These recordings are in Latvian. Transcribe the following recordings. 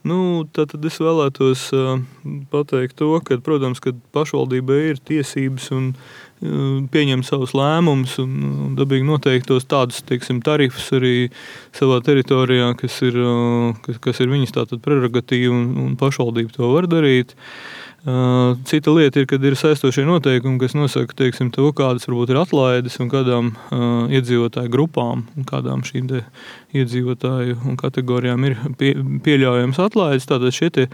Tad es vēlētos pateikt to, ka, protams, kad pašvaldībai ir tiesības un pieņemt savus lēmumus un dabīgi noteiktos tādus, teiksim, tarifus arī savā teritorijā, kas ir viņas tātad prerogatīva un pašvaldība to var darīt. Cita lieta ir, kad ir saistošie noteikumi, kas nosaka, teiksim, to, kādas varbūt ir atlaides un kādām iedzīvotāju grupām un kādām šīm te iedzīvotāju un kategorijām ir pieļaujams atlaides. Tātad šie te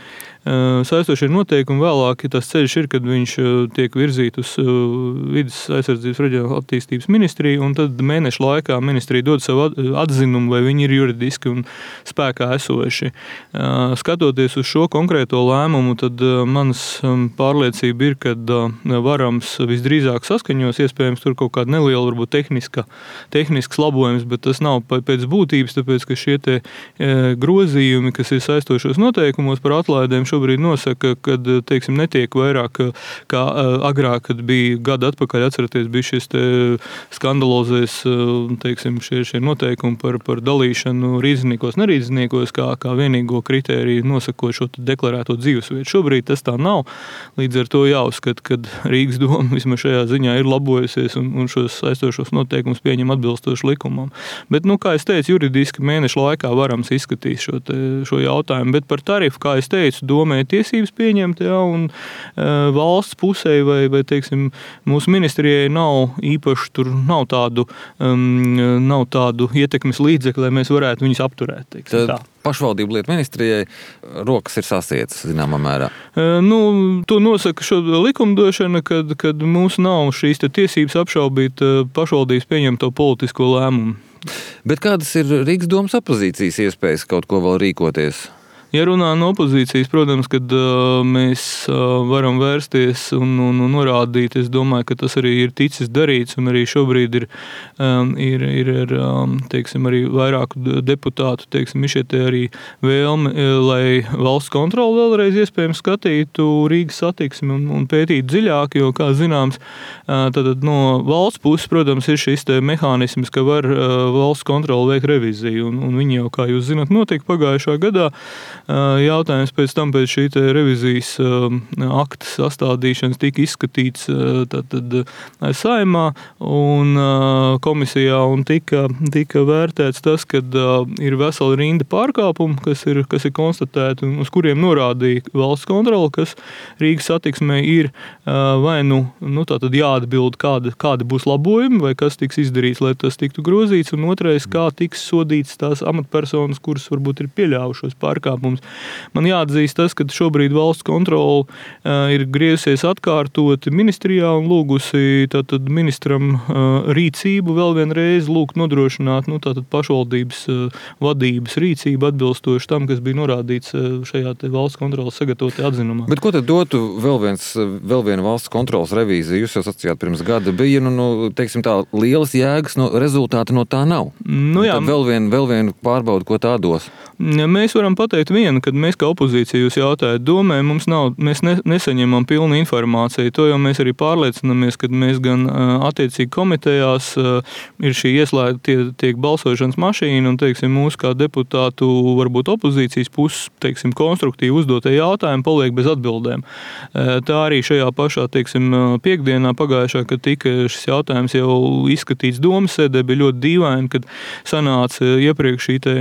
saistošie noteikumi vēlāk, tas ceļš ir, kad viņš tiek virzīt uz Vides aizsardzības reģionālās attīstības ministriju, un tad mēnešu laikā ministrija dod savu atzinumu, vai viņi ir juridiski un spēkā esoši. Skatoties uz šo konkrēto lēmumu, tad manas pārliecība ir, ka varams visdrīzāk saskaņos, iespējams tur kaut kāda neliela, varbūt tehnisks labojums, bet tas nav pēc būtības, tāpēc, ka šie te grozījumi, kas ir saistošos noteikumos par atlaidēm, šobrīd nosaka, ka, teiksim, netiek vairāk kā agrāk, kad bija gada atpakaļ, atceraties, bija šis te skandalozēs, teiksim, šie noteikumi par dalīšanu rīzniekos, nerīzniekos, kā vienīgo kritēriju nosakot šo deklarēto dzīvesvietu. Šobrīd tas tā nav. Līdz ar to jāuzskata, ka Rīgas doma vismaz šajā ziņā ir labojusies un šos saistošos noteikumus pieņem atbilstoši likumam. Bet, kā es teicu, juridiski mēnešu laikā varams izskatīt šo jautājumu. Bet par tarifu, kā es teicu, domē tiesības pieņemt, un valsts pusē vai teiksim, mūsu ministrijai nav īpaši, tur nav tādu ietekmes līdzekļu, lai mēs varētu viņus apturēt. Teiksim, tā. Pašvaldību lietu ministrijai rokas ir sasietas, zināmā mērā. To nosaka šo likumdošana, kad mums nav šīs tiesības apšaubīt pašvaldības pieņemto politisko lēmumu. Bet kādas ir Rīgas domas opozīcijas iespējas kaut ko vēl rīkoties? Ja runā no opozīcijas, protams, kad mēs varam vērsties un norādīt, es domāju, ka tas arī ir ticis darīts, un arī šobrīd ir teiksim, arī vairāku deputātu, teiksim, šie te arī vēlme, lai valsts kontrole vēlreiz iespējams skatītu Rīgas satiksmi un pētītu dziļāk, jo, kā zināms, tad no valsts puses, protams, ir šis te mehānisms, ka var valsts kontrole veikt reviziju, un viņi jau, kā jūs zināt, notika pagājušā gadā. Jautājums pēc šī revizijas akta sastādīšanas tika izskatīts Saeimā un komisijā un tika vērtēts tas, ka ir vesela rinda pārkāpumu, kas ir konstatēti un uz kuriem norādīja valsts kontrole, kas Rīgas satiksmē ir vai tātad jāatbild, kādi būs labojumi vai kas tiks izdarīts, lai tas tiktu grozīts, un otrais, kā tiks sodīts tās amatpersonas, kuras varbūt ir pieļāvušos pārkāpumus. Man jāatzīst tas, ka šobrīd valsts kontrole ir griezusies atkārtoti ministrijā un lūgusi tātad ministram rīcību vēl vienreiz lūgt nodrošināt tātad pašvaldības vadības rīcību atbilstoši tam, kas bija norādīts šajā te valsts kontroles sagatavotajā atzinumā. Bet ko tad dotu vēl viena valsts kontroles revīzija? Jūs jau sacījāt pirms gada bija, teiksim tā, lielas jēgas rezultāti no tā nav. Jā. Tad vēl vienu pārbaudu, ko tā dos? Mēs varam pateikt vienu, kad mēs kā opozīcija jūs jautājat domē, mēs nesaņemam pilnu informāciju. To jau mēs arī pārliecinamies, kad mēs gan attiecīgi komitejās ir šī ieslēgta tiek balsošanas mašīna un, teiksim, mūsu kā deputātu varbūt opozīcijas puses, teiksim, konstruktīvi uzdotie jautājumi paliek bez atbildēm. Tā arī šajā pašā, teiksim, piekdienā pagājušā, kad tika šis jautājums jau izskatīts domas sēdē, bija ļoti dīvaini, kad sanāca iepriekš šī te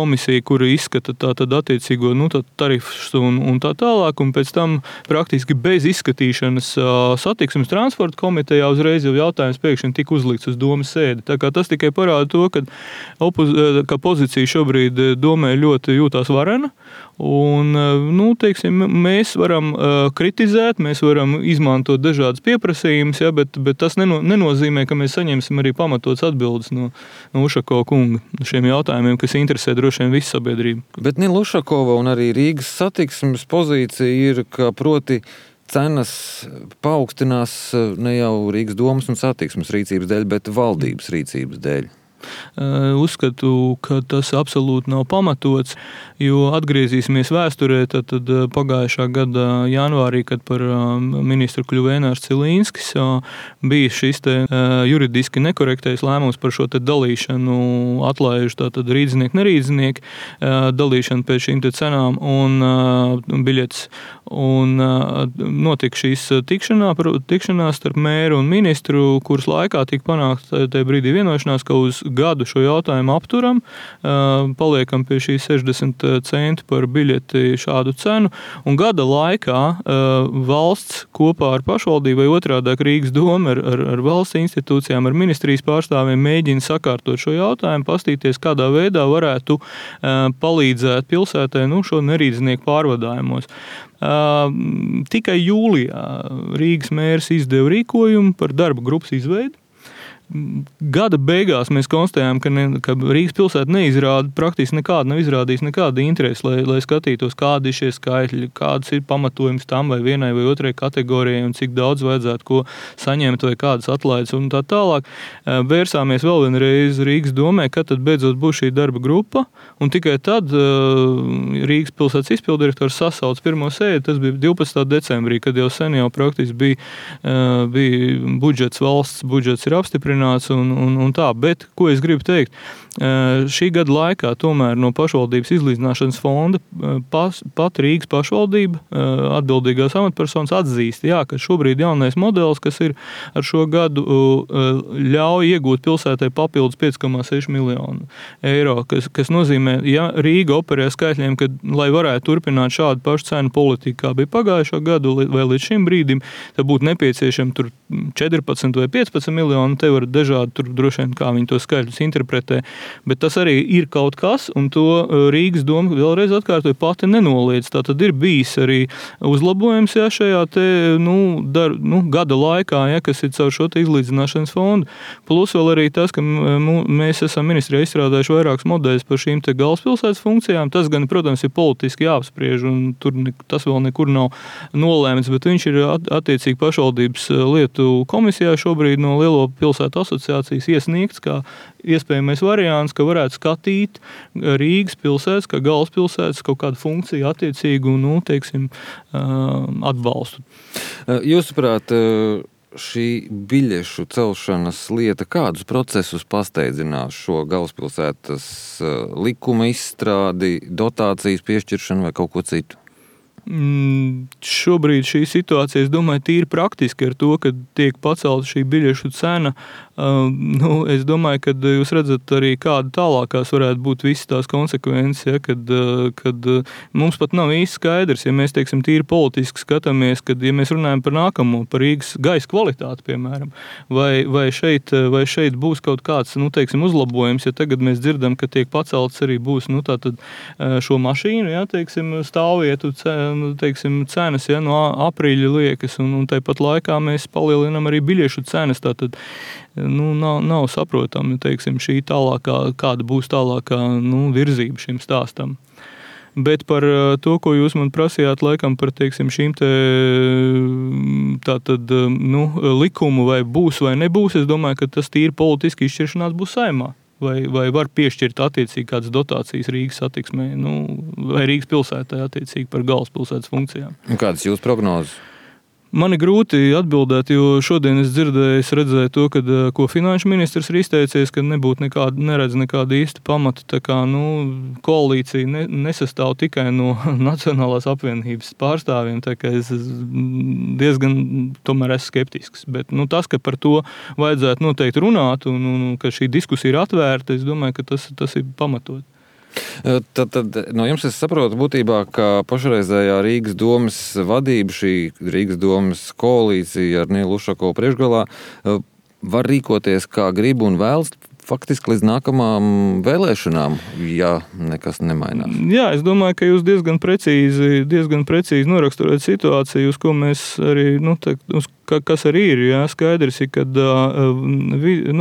komisija, kura izskata tātad attiecīgo tarifus un tā tālāk, un pēc tam praktiski bez izskatīšanas satiksmes transporta komitejā uzreiz jau jautājums pēkšņi tika uzlikts uz domas sēdi. Tā kā tas tikai parāda to, ka pozīcija šobrīd domē ļoti jūtās varena, un, teiksim, mēs varam kritizēt, mēs varam izmantot dažādas pieprasījumus, bet tas nenozīmē, ka mēs saņemsim arī pamatots atbildes no Ušakova kunga šiem jautājumiem, kas interesē droši vien visu sabiedrību. Bet Nila Ušakova un arī Rīgas satiksmes pozīcija ir, ka proti cenas paaugstinās ne jau Rīgas domas un satiksmes rīcības dēļ, bet valdības rīcības dēļ. uzskatu, ka tas absolūti nav pamatots, jo atgriezīsimies vēsturē, tad pagājušā gada janvārī, kad par ministru kļuva Ēnārs Cilīnskis, bija šis te juridiski nekorektais lēmums par šo te dalīšanu, atlaižu tātad rīdznieki, nerīdznieki, dalīšanu pēc šīm te cenām un biļetes. Un notika šīs tikšanās starp mēru un ministru, kuras laikā tika panākt tajā brīdī vienošanās, ka uz gadu šo jautājumu apturam, paliekam pie šīs 60 centu par biļeti šādu cenu, un gada laikā valsts kopā ar pašvaldību vai otrādāk Rīgas doma ar valsts institūcijām, ar ministrijas pārstāvjiem mēģina sakārtot šo jautājumu, pastīties, kādā veidā varētu palīdzēt pilsētai šo nerīdznieku pārvadājumos. Tikai jūlijā Rīgas mērs izdeva rīkojumu par darba grupas izveidi. Gada beigās mēs konstatējām, ka Rīgas pilsēta neizrāda, praktiski nav izrādījis nekādu interesi, lai skatītos, kādi ir šie skaitļi, kāds ir pamatojums tam vai vienai vai otrai kategorijai un cik daudz vajadzētu ko saņemt vai kādas atlaides un tā tālāk. Vērsāmies vēl vienreiz Rīgas domē, kad tad beidzot būs šī darba grupa, un tikai tad Rīgas pilsētas izpildirektors sasauc pirmo sēdi, tas bija 12. decembrī, kad jau sen jau praktiski bija budžets, valsts budžets ir apstiprināts, un tā, bet ko es gribu teikt? Šī gada laikā tomēr no pašvaldības izlīdzināšanas fonda pat Rīgas pašvaldība atbildīgās amatpersonas atzīst, ka šobrīd jaunais modelis, kas ir ar šo gadu, ļauj iegūt pilsētai papildus 5,6 miljonu eiro, kas nozīmē, ja Rīga operē skaitļiem, ka, lai varētu turpināt šādu pašu cenu politiku, kā bija pagājušo gadu vai līdz šim brīdim, tad būtu nepieciešami tur 14 vai 15 miljoni, te var dažādi tur droši vien, kā viņi to skaitļus interpretē, bet tas arī ir kaut kas, un to Rīgas doma vēlreiz atkārtoja pati nenoliedz. Tā tad ir bijis arī uzlabojums šajā te, gada laikā, kas ir caur šo te izlīdzināšanas fondu. Plus vēl arī tas, ka mēs esam ministrijā izstrādājuši vairākus modeļus par šīm te galvaspilsētas funkcijām. Tas gan, protams, ir politiski jāapspriež, un tur tas vēl nekur nav nolēmts, bet viņš ir attiecīgi pašvaldības lietu komisijā šobrīd no Lielo pilsētu asociācijas iesniegts kā iespējamais variants, ka varētu skatīt Rīgas pilsētas, kā galvaspilsētas kaut kādu funkciju attiecīgu, atbalstu. Jūsuprāt, šī biļešu celšanas lieta kādus procesus pasteidzinās šo galvaspilsētas likuma izstrādi, dotācijas piešķiršanu vai kaut ko citu? Šobrīd šī situācija, es domāju, tīri praktiski ar to, ka tiek pacelta šī biļešu cena. Es domāju, ka jūs redzat arī kāda tālākās varētu būt visas tās konsekvences, kad mums pat nav īsti skaidrs, ja mēs, teiksim, tīri politiski skatāmies, kad, ja mēs runājam par nākamo, par Rīgas gaisa kvalitāti, piemēram, vai šeit būs kaut kāds, uzlabojums, ja tagad mēs dzirdam, ka tiek pacelts arī būs, tātad šo mašīnu, stāvvietu cenas, no aprīļa liekas, un tāpat laikā mēs palielinām arī biļešu cenas, tātad nav saprotami, šī tālākā, kāda būs tālākā virzība šim stāstam. Bet par to, ko jūs man prasījāt, laikam par, šīm te tātad, likumu vai būs vai nebūs, es domāju, ka tas tīri politiski izšķiršanās būs Saeimā. Vai var piešķirt attiecīgi kādas dotācijas Rīgas satiksmē, vai Rīgas pilsētai attiecīgi par galvaspilsētas funkcijām. Kādas jūs prognozes? Man ir grūti atbildēt, jo šodien es redzēju to, ko finanšu ministrs ir izteicies, ka neredz nekādu īstu pamatu. Tā kā, koalīcija nesastāv tikai no Nacionālās apvienības pārstāvjiem, tā kā es diezgan tomēr esmu skeptisks. Bet tas, ka par to vajadzētu noteikti runāt un ka šī diskusija ir atvērta, es domāju, ka tas ir pamatot. Tad no jums es saprotu būtībā, ka pašreizējā Rīgas domas vadība, šī Rīgas domas koalīcija ar Nielu Ušakovu priekšgalā var rīkoties kā grib un vēlas faktiski līdz nākamām vēlēšanām, ja nekas nemainās. Jā, es domāju, ka jūs diezgan precīzi noraksturējat situāciju, uz ko mēs arī, kas arī ir, skaidrs ir, kad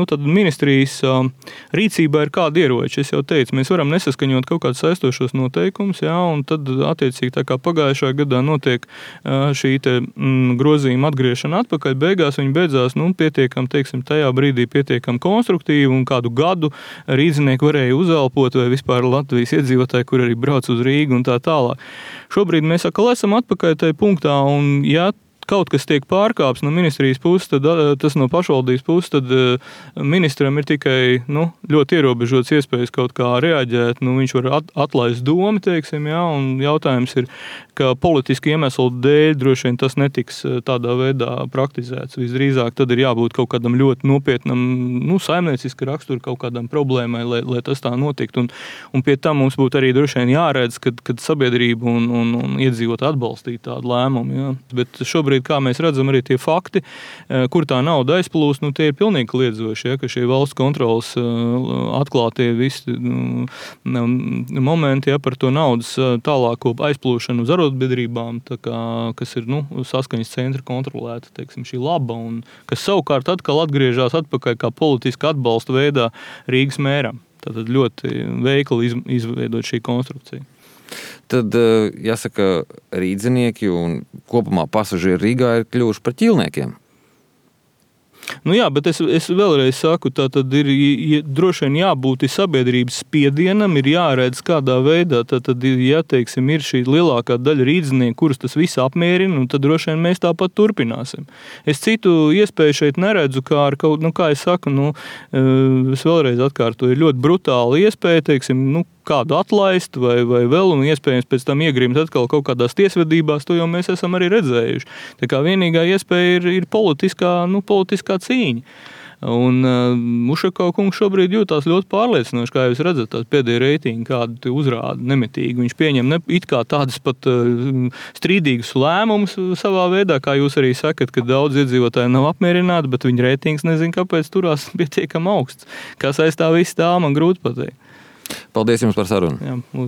tad ministrijas rīcībā ir kādi ieroči. Es jau teicu, mēs varam nesaskaņot kaut kādus saistošos noteikumus, un tad attiecīgi tā kā pagājušā gadā notiek šī te grozījuma atgriešana atpakaļ, beigās viņi beidzās, pietiekam, tajā brīdī pietiekam konstruktīvi, un kādu gadu rīdzinieki varēja uzelpot, vai vispār Latvijas iedzīvotāji, kur arī brauc uz Rīgu un tā tālāk. Šobrīd mēs atkal esam atpakaļ tajā punktā, un ja kaut kas tiek pārkāps no ministrijas puses, tad tas no pašvaldības puses, tad ministram ir tikai ļoti ierobežots iespējas kaut kā reaģēt. Viņš var atlaist domu, teiksim, jā, un jautājums ir, ka politiski iemeslu dēļ droši vien tas netiks tādā veidā praktizēts. Visdrīzāk tad ir jābūt kaut kādam ļoti nopietnam, saimnieciska rakstura kaut kādām problēmai, lai tas tā notiktu. Un pie tam mums būtu arī droši vien jāredz, kad sabiedrība un iedzīvot atbalstīt tādu lēmumu. Jā. Bet šobrīd, kā mēs redzam, arī tie fakti, kur tā nauda aizplūst, tie ir pilnīgi kliedzoši, ja, ka šie valsts kontrolas atklātie visi momenti, ja, par to naudas tālāko aizplūšanu uz arotbiedrībām, kas ir saskaņas centra kontrolēta, teiksim, šī laba, un kas savukārt atkal atgriežas atpakaļ kā politiski atbalsta veidā Rīgas mēram. Tātad ļoti veikli izveidot šī konstrukcija. Tad, jāsaka, rīdzinieki un kopumā pasažieri Rīgā ir kļuvuši par ķīlniekiem. Jā, bet es vēlreiz saku, tā tad ir droši vien jābūt sabiedrības spiedienam, ir jāredz kādā veidā, tad, ja, teiksim, ir šī lielākā daļa rīdzinieku, kurus tas viss apmierina, tad droši vien mēs tāpat turpināsim. Es citu iespēju šeit neredzu, kā ar kaut, kā es saku, es vēlreiz atkārtoju, ir ļoti brutāla iespēja, teiksim, kādu atlaist vai vēl, un iespējams pēc tam iegrimt atkal kaut kādās tiesvedībās, to jau mēs esam arī redzējuši. Tā kā vienīgā iespēja ir politiskā cīņa. Un Ušakova kungs šobrīd jūtās ļoti pārliecinoši, kā jūs redzat, tās pēdējie reitingi, kādu uzrāda nemitīgi. Viņš pieņem it kā tādas pat strīdīgus lēmumus savā veidā, kā jūs arī sakat, ka daudz iedzīvotāji nav apmierināti, bet viņa reitings nezin, kāpēc turās pietiekam augsts. Kas aiz tā viss tā, man grūti pateikt. Paldies jums par sarunu. Jā,